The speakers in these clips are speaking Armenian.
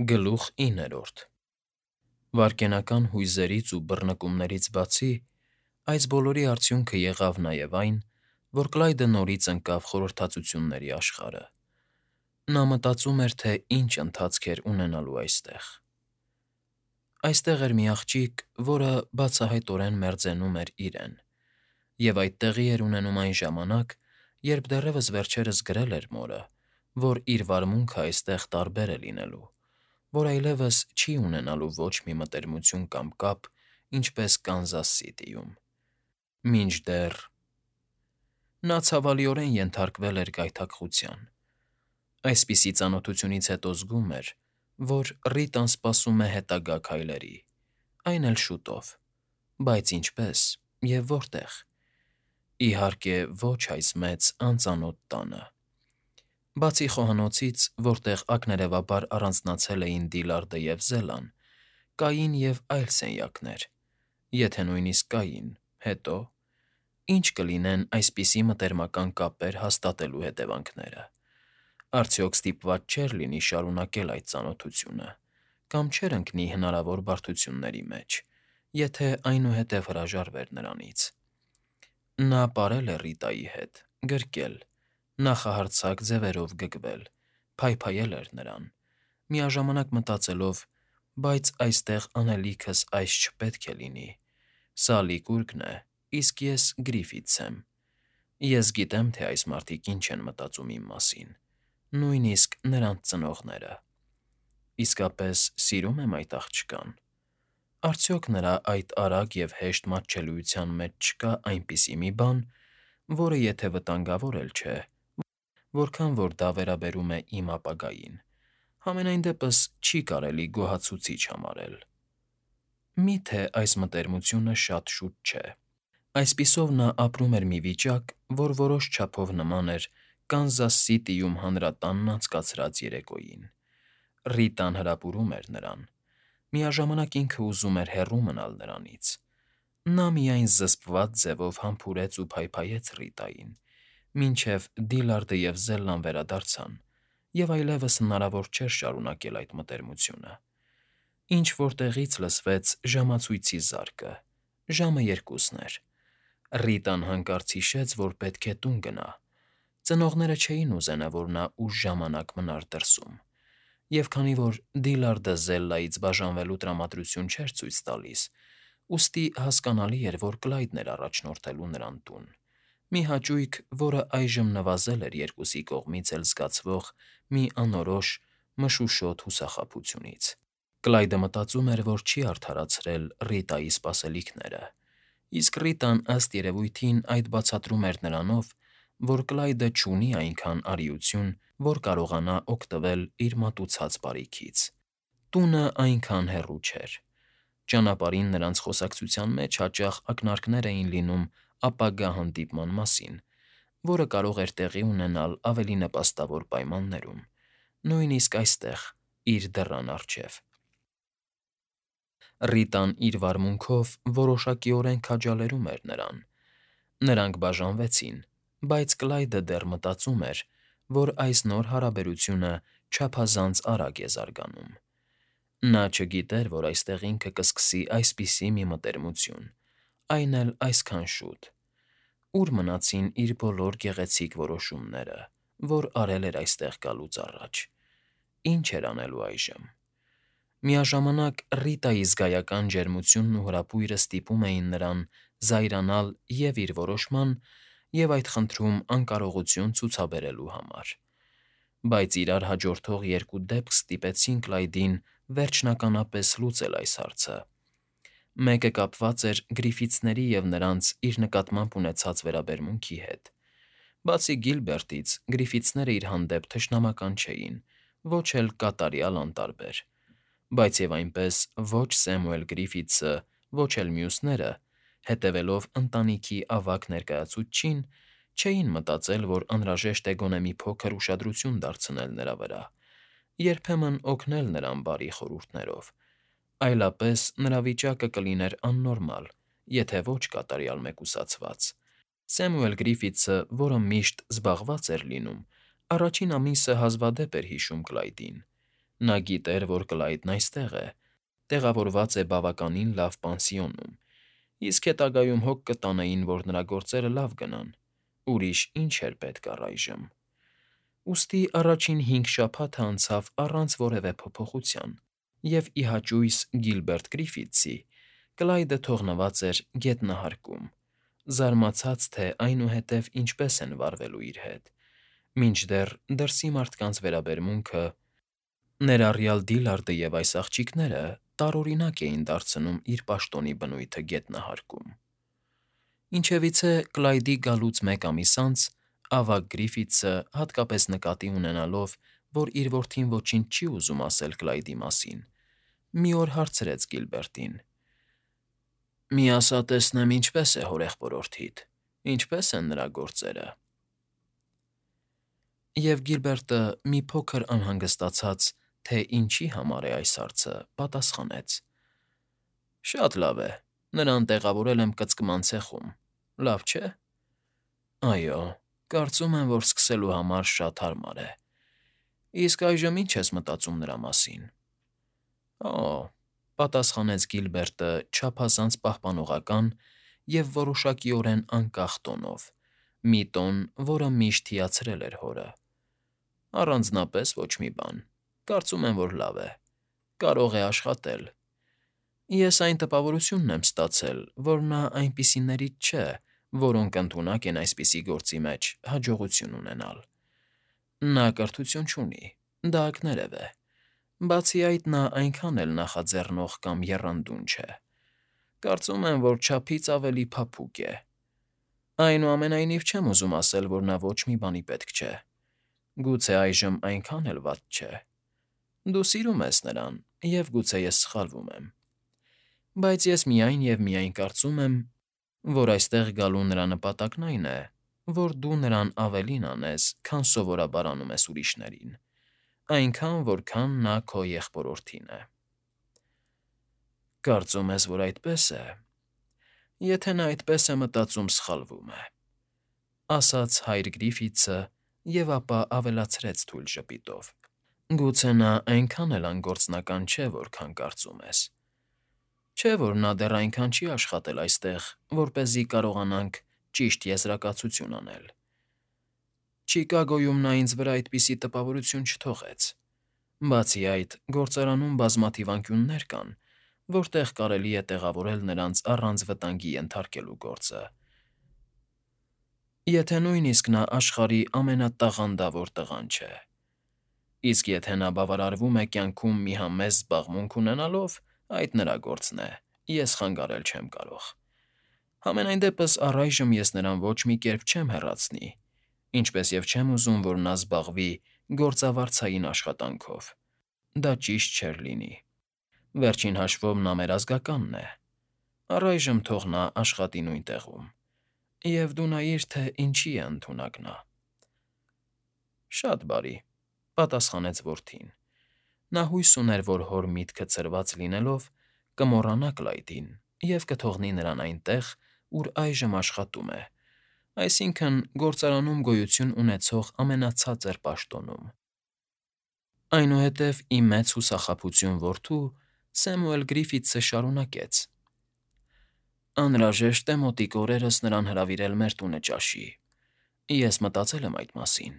Գլուխ 9. Վայրկենական հույզերից ու բռնկումներից բացի, այս բոլորի արդյունքը եղավ նաև այն, որ Կլայդը նորից ընկավ խորհրդածությունների աշխարհը. նա մտածում էր, թե ինչ ընթացք էր ունենալու այստեղ։ Այստեղ էր մի աղջիկ, որը բացահայտորեն մերձենում էր իրեն, և այդ տեղի էր ունենում այն ժամանակ, երբ դեռևս վերջերս գրել էր մորը, որ իր վարմունքը այստեղ տարբեր է լինելու, որ այլևս չի ունենալու ոչ մի մտերմություն կամ կապ, ինչպես Կանզաս Սիթիում։ Մինչդեռ… Նա ցավալիորեն ենթարկվել էր գայթակղության։ Այսպիսի ծանոթությունից հետո զգում էր, որ Ռիտան սպասում է հետագա քայլերի, այն էլ շուտով, բայց ինչպե՞ս և որտե՞ղ։ Իհարկե, ոչ այս մեծ անծանոթ տանը։ Բացի խոհանոցից, որտեղ ակներևաբար առանձնացել էին Դիլարդը և Զելան, կային և այլ սենյակներ, եթե նույնիսկ կային, հետո… Ի՞նչ կլինեն այսպիսի մտերմական կապեր հաստատելու հետևանքները։ Արդյոք ստիպված չէր լինի շարունակել այդ ծանոթությունը, կամ չէր ընկնի հնարավոր բարդությունների մեջ, եթե այնուհետև հրաժարվեր նրանից։ Նա պարել է Ռիտայի հետ, գրկել, նախահարձակ ձևերով գգվել, փայփայել էր նրան, միաժամանակ մտածելով. «Բայց այստեղ անելիքս այս չպետք է լինի, սա Լիկուրգն է, իսկ ես Գրիֆիթս եմ։ Ես գիտեմ, թե այս մարդիկ ինչ են մտածում իմ մասին, նույնիսկ նրանց ծնողները։ Իսկապես սիրում եմ այդ աղջկան։ Արդյոք նրա այդ արագ և հեշտ մատչելիության մեջ չկա այնպիսի մի բան, որը եթե վտանգավոր էլ չէ, որքան որ դա վերաբերում է իմ ապագային, համենայն դեպս չի կարելի գոհացուցիչ համարել։ Մի՞թե այս մտերմությունը շատ շուտ չէ»։ Այսպիսով նա ապրում էր մի վիճակ, որ որոշ չափով նման էր Կանզաս Սիթիում հանրատանն անցկացրած երեկոյին։ Ռիտան հրապուրում էր նրան, միաժամանակ ինքը ուզում էր հեռու մնալ նրանից։ Նա միայն զսպված ձևով համբուրեց ու փայփայեց Ռիտային, մինչև Դիլարդը և Զելլան վերադարձան, և այլևս հնարավոր չէր շարունակել այդ մտերմությունը։ Ինչ֊որ տեղից լսվեց ժամացույցի զարկը, ժամը 2 էր։ Ռիտան հանկարծ հիշեց, որ պետք է տուն գնա։ Ծնողները չէին ուզենա, որ նա ուշ ժամանակ մնար դրսում, և քանի որ Դիլարդը Զելլայից բաժանվելու տրամադրություն չէր ցույց տալիս, ուստի հասկանալի էր, որ Կլայդն էր առաջնորդելու նրան տուն, մի հաճույք, որը այժմ նվազել էր երկուսի կողմից էլ զգացվող մի անորոշ, մշուշոտ հուսախաբությունից։ Կլայդը մտածում էր, որ չի արդարացրել Ռիտայի սպասելիքները, իսկ Ռիտան, ըստ երևույթին, այդ բացատրում էր նրանով, որ Կլայդը չունի այնքան արիություն, որ կարողանա օգտվել իր մատուցած բարիքից։ Տունը այնքան հեռու չէր։ Ճանապարհին նրանց խոսակցության մեջ հաճախ ակնարկներ էին լինում ապագա հանդիպման մասին, որը կարող էր տեղի ունենալ ավելի նպաստավոր պայմաններում, նույնիսկ այստեղ, իր դռան առջև։ Ռիտան իր վարմունքով որոշակիորեն քաջալերում էր նրան։ Նրանք բաժանվեցին, բայց Կլայդը դեռ մտածում էր, որ այս նոր հարաբերությունը չափազանց արագ է զարգանում։ Նա չգիտեր, որ այստեղ ինքը կսկսի այսպիսի մի մտերմություն, այն էլ այսքան շուտ։ Ո՞ւր մնացին իր բոլոր գեղեցիկ որոշումները, որ արել էր այստեղ գալուց առաջ։ Ինչ էր անելու այժմ։ Միաժամանակ Ռիտայի զգայական ջերմությունն ու հրապույրը ստիպում էին նրան զայրանալ և իր որոշման, և այդ խնդրում անկարողություն ցուցաբերելու համար։ Բայց իրար հաջորդող երկու դեպք ստիպեցին Կլայդին վերջնականապես լուծել այս հարցը։ Մեկը կապված էր Գրիֆիթսների և նրանց իր նկատմամբ ունեցած վերաբերմունքի հետ։ Բացի Գիլբերտից, Գրիֆիթսները իր հանդեպ թշնամական չէին, ոչ էլ կատարյալ անտարբեր։ Բայց և այնպես ոչ Սեմուել Գրիֆիթսը, ոչ էլ մյուսները, հետևելով ընտանիքի ավագ ներկայացուցչին, չէին մտածել, որ անհրաժեշտ է գոնե մի փոքր ուշադրություն դարձնել նրա վրա, երբեմն օգնել նրան բարի խորհուրդներով, այլապես նրա վիճակը կլիներ աննորմալ, եթե ոչ կատարյալ մեկուսացված։ Սեմուել Գրիֆիթսը, որը միշտ զբաղված էր լինում, առաջին ամիսը հազվադեպ էր հիշում Կլայդին։ Նա գիտեր, որ Կլայդն այստեղ է, տեղավորված է բավականին լավ պանսիոնում, իսկ հետագայում հոգ կտանեին, որ նրա գործերը լավ գնան, ուրիշ ինչ էր պետք առայժմ։ Ուստի առաջին 5 շաբաթը անցավ առանց որևէ փոփոխության, և ի հաճույս Գիլբերտ Գրիֆիթսի Կլայդը թողնված էր գետնահարկում, զարմացած, թե այնուհետև ինչպես են վարվելու իր հետ, մինչդեռ դրսի մարդկանց վերաբերմունքը, ներառյալ Դիլարդը և այս աղջիկները, տարօրինակ էին դարձնում իր պաշտոնի բնույթը գետնահարկում։ Ինչևիցե Կլայդի գալուց 1 ամիս անց ավագ Գրիֆիթսը, հատկապես նկատի ունենալով, որ իր որդին ոչինչ չի ուզում ասել Կլայդի մասին, մի օր հարցրեց Գիլբերտին. «Մի ասա տեսնեմ, ինչպես է հորեղբորորդիդ, ինչպես են նրա գործերը»։ Եվ Գիլբերտը, մի փոքր անհանգստացած, թե ինչի համար է այս հարցը, պատասխանեց. «Շատ լավ է, նրան տեղավորել եմ կծկման ցեխում, լավ չէ»։ «Այո, կարծում եմ, որ սկսելու համար շատ հարմար է։ Իսկ այժմ ի՞նչ ես մտածում նրա մասին»։ «Օ,֊ պատասխանեց Գիլբերտը չափազանց պահպանողական և որոշակիորեն անկախ տոնով, մի տոն, որը միշտ հիացրել էր հորը,֊ առանձնապես ոչ մի բան, կարծում եմ, որ լավ է, կարող է աշխատել։ Ես այն տպավորությունն եմ ստացել, որ նա այնպիսիներից չէ, որոնք ընդունակ են այսպիսի գործի մեջ հաջողություն ունենալ։ Նա կրթություն չունի, դա ակներև է։ Բացի այդ, նա այնքան էլ նախաձեռնող կամ եռանդուն չէ։ Կարծում եմ, որ չափից ավելի փափուկ է։ Այնուամենայնիվ չեմ ուզում ասել, որ նա ոչ մի բանի պետք չէ։ Գուցե այժմ այնքան էլ վատ չէ։ Դու սիրում ես նրան, և գուցե ես սխալվում եմ։ Բայց ես միայն և միայն կարծում եմ, որ այստեղ գալու նրա նպատակն այն է, որ դու նրան ավելին անես, քան սովորաբար անում ես ուրիշներին, այնքան, որքան նա քո եղբորորդին է։ Կարծում ես, որ այդպես է։ Եթե նա այդպես է մտածում, սխալվում է,֊ ասաց հայր Գրիֆիթսը և ապա ավելացրեց թույլ ժպիտով. «Գուցե նա այնքան էլ անգործնական չէ, որքան կարծում ես։ Չէ՞ որ նա դեռ այնքան չի աշխատել այստեղ, որպեսզի կարողանանք ճիշտ եզրակացություն անել։ Չիկագոյում նա ինձ վրա այդպիսի տպավորություն չթողեց։ Բացի այդ, գործարանում բազմաթիվ անկյուններ կան, որտեղ կարելի է տեղավորել նրանց առանց վտանգի ենթարկելու գործը։ Եթե նույնիսկ նա աշխարհի ամենատաղանդավոր տղան չէ։ Իսկ եթե նա բավարարվում է կյանքում մի համեստ զբաղմունք ունենալով, այդ նրա գործն է, ես խանգարել չեմ կարող։ Համենայն դեպս առայժմ ես նրան ոչ մի կերպ չեմ հեռացնի, ինչպես և չեմ ուզում, որ նա զբաղվի գործավարձային աշխատանքով։ Դա ճիշտ չէր լինի։ Վերջին հաշվով նա մեր ազգականն է։ Առայժմ թող նա աշխատի նույն տեղում։ Եվ դու նայիր, թե ինչի է ընդունակ նա»։ «Շատ բարի,֊ պատասխանեց որդին։ Նա հույս ուներ, որ հոր միտքը ցրված լինելով, կմոռանա Կլայդին և կթողնի նրան այնտեղ, ուր այժմ աշխատում է, այսինքն՝ գործարանում գոյություն ունեցող ամենացածր պաշտոնում։ Այնուհետև ի մեծ հուսախաբություն որդու Սեմուել Գրիֆիթսը շարունակեց. «Անհրաժեշտ է մոտիկ օրերս նրան հրավիրել մեր տունը ճաշի։ Ես մտածել եմ այդ մասին,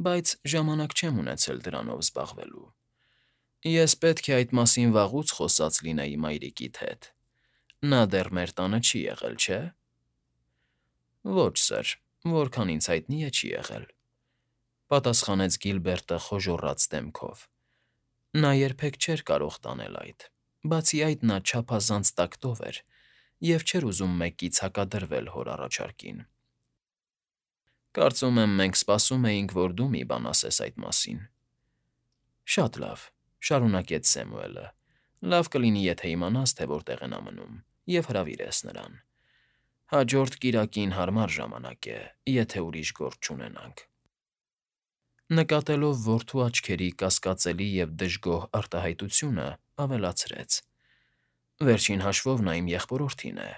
բայց ժամանակ չեմ ունեցել դրանով զբաղվելու։ Ես պետք է այդ մասին վաղուց խոսած լինեի մայրիկիդ հետ։ Նա դեռ մեր տանը չի եղել, չէ՞։ Ոչ, սըր, որքան ինձ հայտնի է, չի եղել,֊ պատասխանեց Գիլբերտը խոժոռաց դեմքով։ Նա երբեք չէր կարող տանել այդ, բացի այդ նա չափազանց տակտով էր և չէր ուզում մեկից հակադրվել հոր առաջարկին։ Կարծում եմ, մենք սպասում էինք, որ դու մի բան ասես այդ մասին։ Շատ լավ,֊ շարունակեց Սեմուելը,֊ լավ կլինի, եթե իմանաս, թե որտեղ է նա մնում, և հրավիրես նրան։ Հաջորդ կիրակին հարմար ժամանակ է, եթե ուրիշ գործ չունենանք»։ Նկատելով որդու աչքերի կասկածելի և դժգոհ արտահայտությունը, ավելացրեց. «Վերջին հաշվով նա իմ եղբորորդին է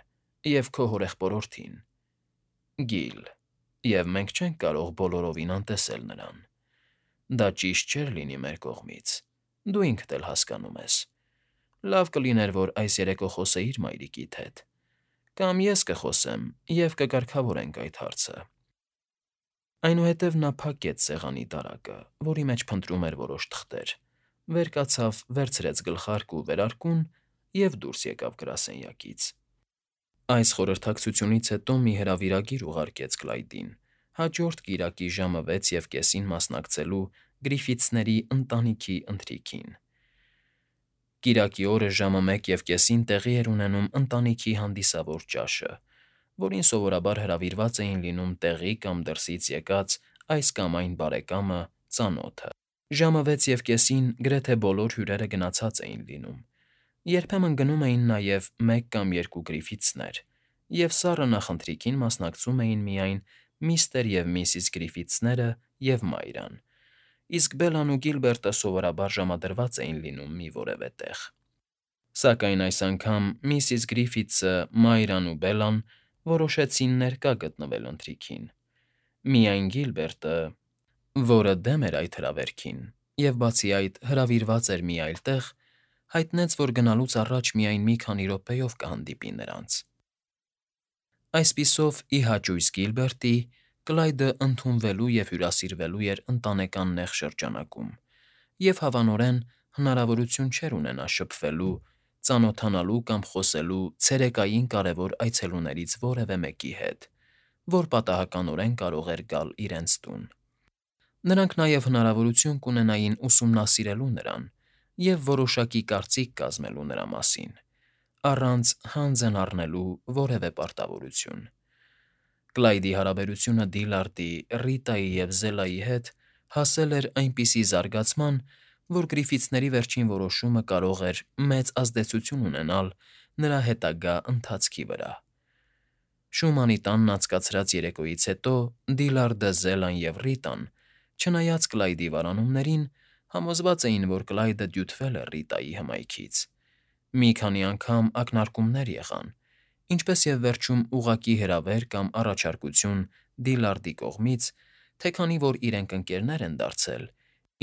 և քո հորեղբորորդին, Գիլ, և մենք չենք կարող բոլորովին անտեսել նրան։ Դա ճիշտ չէր լինի մեր կողմից։ Դու ինքդ էլ հասկանում ես։ Լավ կլիներ, որ այս երեկո խոսեիր մայրիկիդ հետ, կամ ես կխոսեմ և կկարգավորենք այդ հարցը։ Այնուհետև նա փակեց սեղանի դարակը, որի մեջ փնտրում էր որոշ թղթեր, վեր կացավ, վերցրեց գլխարկ ու վերարկուն և դուրս եկավ գրասենյակից։ Այս խորհրդակցությունից հետո մի հրավիրագիր ուղարկեց Կլայդին հաջորդ կիրակի ժամը 6:30-ին մասնակցելու Գրիֆիթսների ընտանիքի ընթրիքին։ Կիրակի օրը ժամը 1:30-ին տեղի էր ունենում ընտանիքի հանդիսավոր ճաշը, որին սովորաբար հրավիրված էին լինում տեղի կամ դրսից եկած այս կամ այն բարեկամը, ծանոթը։ Ժամը 6:30-ին գրեթե բոլոր հյուրերը գնացած էին լինում, երբեմն գնում էին նաև մեկ կամ երկու Գրիֆիթսներ, և սառը նախընթրիքին մասնակցում էին միայն միստր և միսիս Գրիֆիթսները և Մայրան, իսկ Բելլան ու Գիլբերտը սովորաբար ժամադրված էին լինում մի որևէ տեղ։ Սակայն այս անգամ միսիս Գրիֆիթսը, Մայրան ու Բելլան որոշեցին ներկա գտնվել ընթրիքին։ Միայն Գիլբերտը, որը դեմ էր այդ հրավերքին և, բացի այդ, հրավիրված էր մի այլ տեղ, հայտնեց, որ գնալուց առաջ միայն մի քանի րոպեով կհանդիպի նրանց։ Այսպիսով, ի հաճույս Գիլբերտի, Կլայդը ընդունվելու և հյուրասիրվելու էր ընտանեկան նեղ շրջանակում, և հավանորեն հնարավորություն չէր ունենա շփվելու, ծանոթանալու կամ խոսելու ցերեկային կարևոր այցելուներից որևէ մեկի հետ, որ պատահականորեն կարող էր գալ իրենց տուն։ Նրանք նաև հնարավորություն կունենային ուսումնասիրելու նրան և որոշակի կարծիք կազմելու նրա մասին, առանց հանձն առնելու որևէ պարտավորություն։ Կլայդի հարաբերությունը Դիլարդի, Ռիտայի և Զելայի հետ հասել էր այնպիսի զարգացման, որ Գրիֆիթսների վերջին որոշումը կարող էր մեծ ազդեցություն ունենալ նրա հետագա ընթացքի վրա։ Շումանի տանն անցկացրած երեկոյից հետո Դիլարդը, Զելան և Ռիտան, չնայած Կլայդի վարանումներին, համոզված էին, որ Կլայդը դյութվել է Ռիտայի հմայքից։ Մի քանի անգամ ակնարկումներ եղան, ինչպես և վերջում ուղղակի հրավեր կամ առաջարկություն Դիլարդի կողմից, թե քանի որ իրենք ընկերներ են դարձել,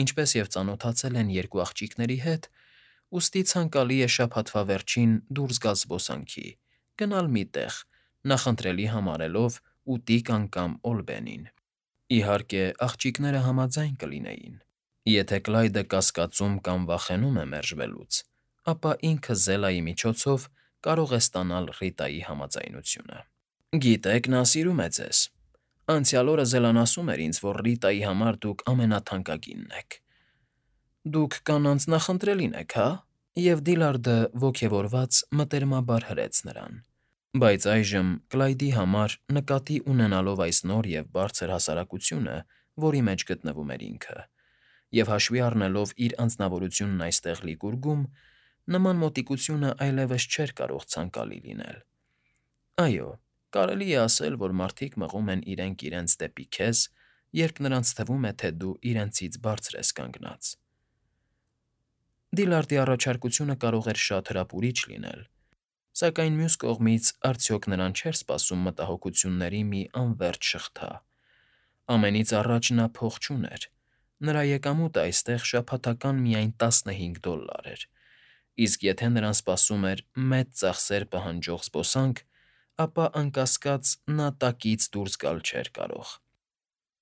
ինչպես և ծանոթացել են երկու աղջիկների հետ, ուստի ցանկալի է շաբաթվա վերջին դուրս գալ զբոսանքի, գնալ մի տեղ, նախընտրելի համարելով Ուտիկան կամ Օլբենին։ Իհարկե, աղջիկները համաձայն կլինեին։ Եթե Կլայդը կասկածում կամ վախենում է մերժվելուց, ապա ինքը Զելայի միջոցով կարող է ստանալ Ռիտայի համաձայնությունը։ Գիտեք, նա սիրում է ձեզ։ Անցյալ օրը Զելան ասում էր ինձ, որ Ռիտայի համար դուք ամենաթանկագինն եք։ Դուք կանանց նախընտրելին եք, հա՞։ Եվ Դիլարդը ոգևորված մտերմաբար հրեց նրան։ Բայց այժմ Կլայդի համար, նկատի ունենալով այս նոր և բարձր հասարակությունը, որի մեջ գտնվում էր ինքը, և հաշվի առնելով իր անձնավորությունն այստեղ Լիկուրգում, նման մոտիկությունը այլևս չէր կարող ցանկալի լինել։ Այո, կարելի է ասել, որ մարդիկ մղում են իրենք իրենց դեպի քեզ, երբ նրանց թվում է, թե դու իրենցից բարձր ես կանգնած։ Դիլարդի առաջարկությունը կարող էր շատ հրապուրիչ լինել, սակայն մյուս կողմից արդյոք նրան չէր սպասում մտահոգությունների մի անվերջ շղթա։ Ամենից առաջ նա փող չուներ։ Նրա եկամուտը այստեղ շաբաթական միայն $15 էր, իսկ եթե նրան սպասում էր մեծ ծախսեր պահանջող զբոսանք, ապա, անկասկած, նա տակից դուրս գալ չէր կարող։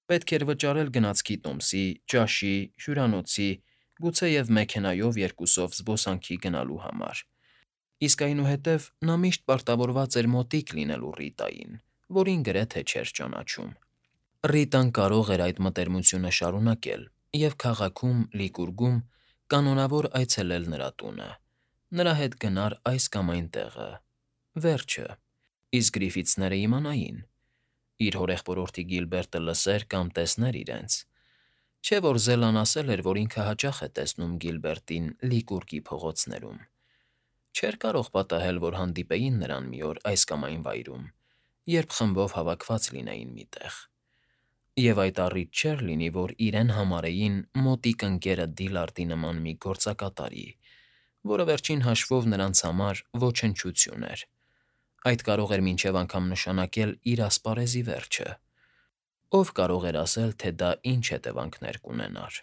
Պետք էր վճարել գնացքի տոմսի, ճաշի, հյուրանոցի, գուցեև մեքենայով երկուսով զբոսանքի գնալու համար, իսկ այնուհետև նա միշտ պարտավորված էր մոտիկ լինելու Ռիտային, որին գրեթե չէր ճանաչում։ Ռիտան կարող էր այդ մտերմությունը շարունակել և քաղաքում, Լիկուրգում, կանոնավոր այցելել նրա տունը, նրա հետ գնար այս կամ այն տեղը, վերջը, իսկ Գրիֆիթսները իմանային։ Իր հորեղբորորդի Գիլբերտը լսեր կամ տեսներ իրենց։ Չէ՞ որ Զելան ասել էր, որ ինքը հաճախ է տեսնում Գիլբերտին Լիկուրգի փողոցներում։ Չէր կարող պատահել, որ հանդիպեին նրան մի օր այս կամ այն վայրում, երբ խմբով հավաքված լինեին մի տեղ։ Եվ այդ առիթ չէր լինի, որ իրեն համարեին մոտիկ ընկերը Դիլարդի նման մի գործակատարի, որը վերջին հաշվով նրանց համար ոչնչություն էր։ Այդ կարող էր մինչև անգամ նշանակել իր ասպարեզի վերջը։ Ով կարող էր ասել, թե դա ինչ հետևանքներ կունենար։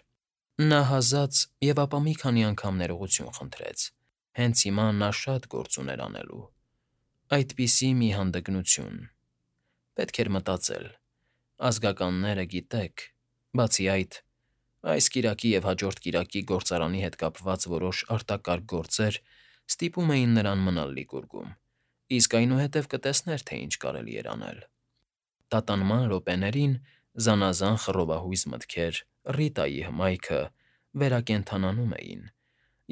Նա հազաց և ապա մի քանի անգամ ներողություն խնդրեց։ Հենց հիմա նա շատ գործ ուներ անելու։ Այդպիսի մի հանդգնություն։ Պետք էր մտածել։ Ազգականները, գիտեք, բացի այդ, այս կիրակի և հաջորդ կիրակի գործարանի հետ կապված որոշ արտակարգ գործեր ստիպում էին նրան մնալ Լիգուրգում, իսկ այնուհետև կտեսներ, թե ինչ կարելի էր անել։ Տատանման րոպեներին զանազան խռովահույզ մտքեր Ռիտայի հմայքը վերակենդանանում էին,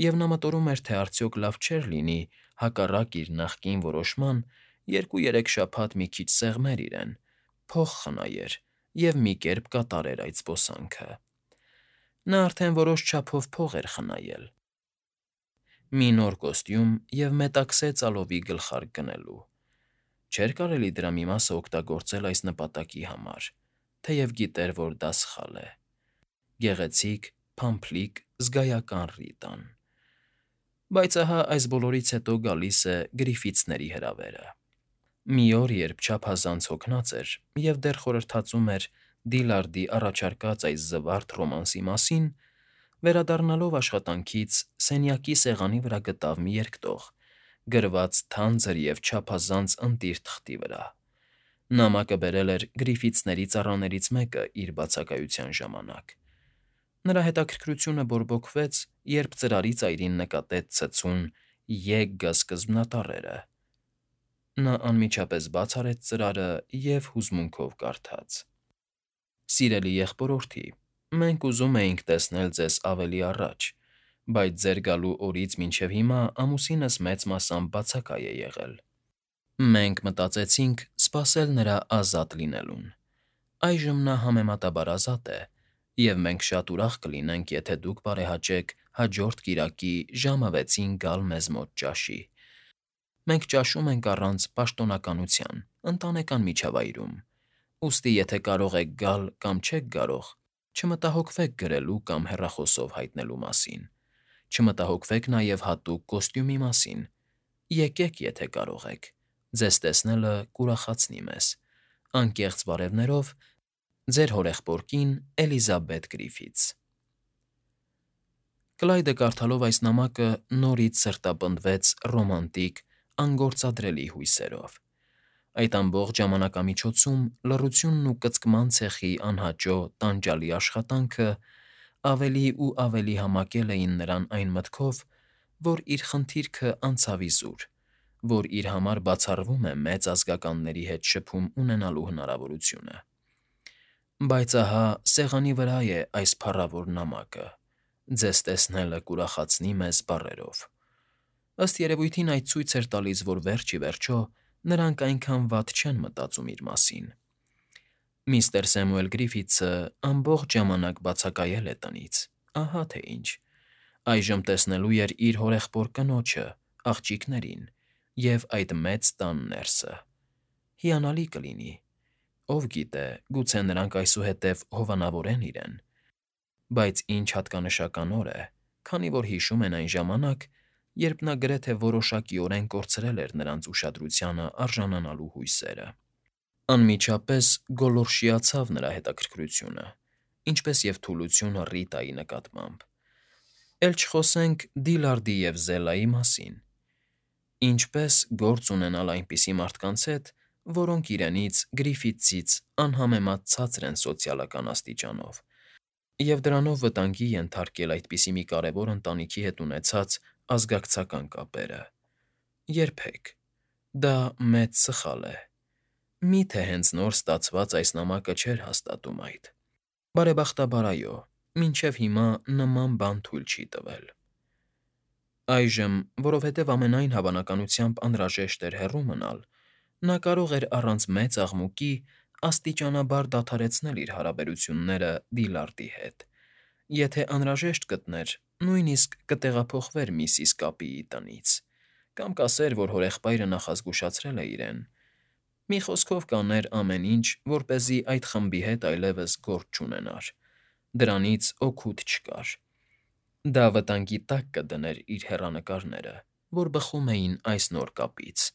և նա մտորում էր, թե արդյոք լավ չէր լինի հակառակ իր նախկին որոշման 2-3 շաբաթ մի քիչ սեղմեր իրեն, փող խնայեր և մի կերպ կատարեր այդ զբոսանքը։ Նա արդեն որոշ չափով փող էր խնայել։ Մի նոր կոստյում և մետաքսե ծալովի գլխարկ գնելու։ Չէր կարելի դրա մի մասը օգտագործել այս նպատակի համար, թեև գիտեր, որ դա սխալ է։ Գեղեցիկ, փամփլիկ, զգայական Ռիտան։ Բայց ահա այս բոլորից հետո գալիս է Գրիֆիթսների հրավերը։ Մի օր, երբ չափազանց հոգնած էր և դեռ խորհրդածում էր Դիլարդի առաջարկած այս զվարթ ռոմանսի մասին, վերադառնալով աշխատանքից սենյակի սեղանի վրա գտավ մի երկտող, գրված թանձր և չափազանց ընտիր թղթի վրա։ Նամակը բերել էր Գրիֆիթսների ծառաներից մեկը իր բացակայության ժամանակ։ Նրա հետաքրքրությունը բորբոքվեց, երբ ծրարի ծայրին նկատեց ցցուն եգգ սկզբնատառերը։ Նա անմիջապես բաց արեց ծրարը և հուզմունքով կարդաց. Սիրելի եղբորորդի, մենք ուզում էինք տեսնել ձեզ ավելի առաջ, բայց ձեր գալու օրից մինչև հիմա ամուսինս մեծ մասամբ բացակայ է եղել։ Մենք մտածեցինք սպասել նրա ազատ լինելուն։ Այժմ նա համեմատաբար ազատ է, և մենք շատ ուրախ կլինենք, եթե դուք բարեհաճեք հաջորդ կիրակի ժամը 6-ին գալ մեզ մոտ ճաշի։ Մենք ճաշում ենք առանց պաշտոնականության, ընտանեկան միջավայրում, ուստի եթե կարող եք գալ կամ չեք կարող, չմտահոգվեք գրելու կամ հեռախոսով հայտնելու մասին։ Չմտահոգվեք նաև հատուկ կոստյումի մասին։ Եկեք, եթե կարող եք։ Ձեզ տեսնելը կուրախացնի մեզ։ Անկեղծ բարևներով, ձեր հորեղբոր կին Էլիզաբեթ Գրիֆիթս։ Կլայդը կարդալով այս նամակը նորից սրտապնդվեց ռոմանտիկ, անգործադրելի հույսերով։ Այդ ամբողջ ժամանակամիջոցում լռությունն ու կծկման ցեխի անհաճո տանջալի աշխատանքը ավելի ու ավելի համակել էին նրան այն մտքով, որ իր խնդիրքը անցավ իզուր, որ իր համար բացառվում է մեծ ազգականների հետ շփում ունենալու հնարավորությունը։ Բայց ահա սեղանի վրա է այս փառավոր նամակը. «Ձեզ տեսնելը կուրախացնի մեզ» բառերով։ Ըստ երևույթին այդ ցույց էր տալիս, որ վերջ ի վերջո նրանք այնքան վատ չեն մտածում իր մասին։ Միստր Սեմուել Գրիֆիթսը ամբողջ ժամանակ բացակայել է տնից, ահա թե ինչ։ Այժմ տեսնելու էր իր հորեղբոր կնոջը, աղջիկներին և այդ մեծ տան ներսը։ Հիանալի կլինի։ Ով գիտե, գուցե նրանք այսուհետև հովանավորեն իրեն։ Բայց ինչ հատկանշական օր է, քանի որ հիշում են այն ժամանակ, երբ նա գրեթե որոշակիորեն կորցրել էր նրանց ուշադրությանը արժանանալու հույսերը։ Անմիջապես գոլորշիացավ նրա հետաքրքրությունը, ինչպես և թուլությունը Ռիտայի նկատմամբ։ Էլ չխոսենք Դիլարդի և Զելայի մասին։ Ինչպես գործ ունենալ այնպիսի մարդկանց հետ, որոնք իրենից Գրիֆիթսից անհամեմատ ցածր են սոցիալական աստիճանով, և դրանով վտանգի ենթարկել այդպիսի մի կարևոր ընտանիքի հետ ունեցած ազգակցական կապերը։ Երբեք։ Դա մեծ սխալ է։ Մի՞թե հենց նոր ստացված այս նամակը չէր հաստատում այդ։ Բարեբախտաբար, այո, մինչև հիմա նման բան թույլ չի տվել։ Այժմ, որովհետև ամենայն հավանականությամբ անհրաժեշտ էր հեռու մնալ, նա կարող էր առանց մեծ աղմուկի աստիճանաբար դադարեցնել իր հարաբերությունները Դիլարդի հետ։ Եթե անհրաժեշտ գտներ, նույնիսկ կտեղափոխվեր միսիս Կապիի տնից, կամ կասեր, որ հորեղբայրը նախազգուշացրել է իրեն։ Մի խոսքով կաներ ամեն ինչ, որպեսզի այդ խմբի հետ այլևս գործ չունենար։ Դրանից օգուտ չկար։ Դա վտանգի տակ կդներ իր հեռանկարները, որ բխում էին այս նոր կապից։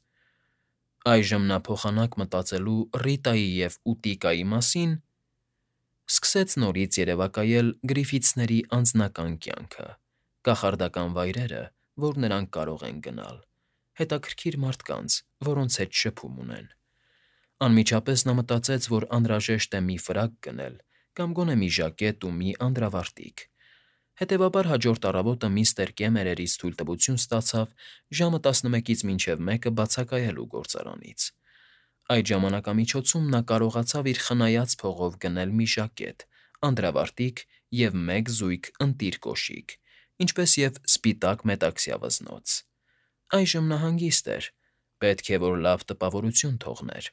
Այժմ նա փոխանակ մտածելու Ռիտայի և Ուտիկայի մասին, Սկսեց նորից երևակայել Գրիֆիթսների անձնական կյանքը, կախարդական վայրերը, որ նրանք կարող են գնալ, հետաքրքիր մարդկանց, որոնց հետ շփում ունեն։ Անմիջապես նա մտածեց, որ անհրաժեշտ է մի ֆրակ գնել կամ գոնե մի ժակետ ու մի անդրավարտիք։ Հետևաբար հաջորդ առավոտը միստր Կեմերերից թույլտվություն ստացավ ժամը 11-ից մինչև 1-ը բացակայելու գործարանից։ Այդ ժամանակամիջոցում նա կարողացավ իր խնայած փողով գնել մի ժակետ, անդրավարտիք և մեկ զույգ ընտիր կոշիկ, ինչպես և սպիտակ մետաքսյա վզնոց։ Այժմ նա հանգիստ էր, պետք է որ լավ տպավորություն թողներ։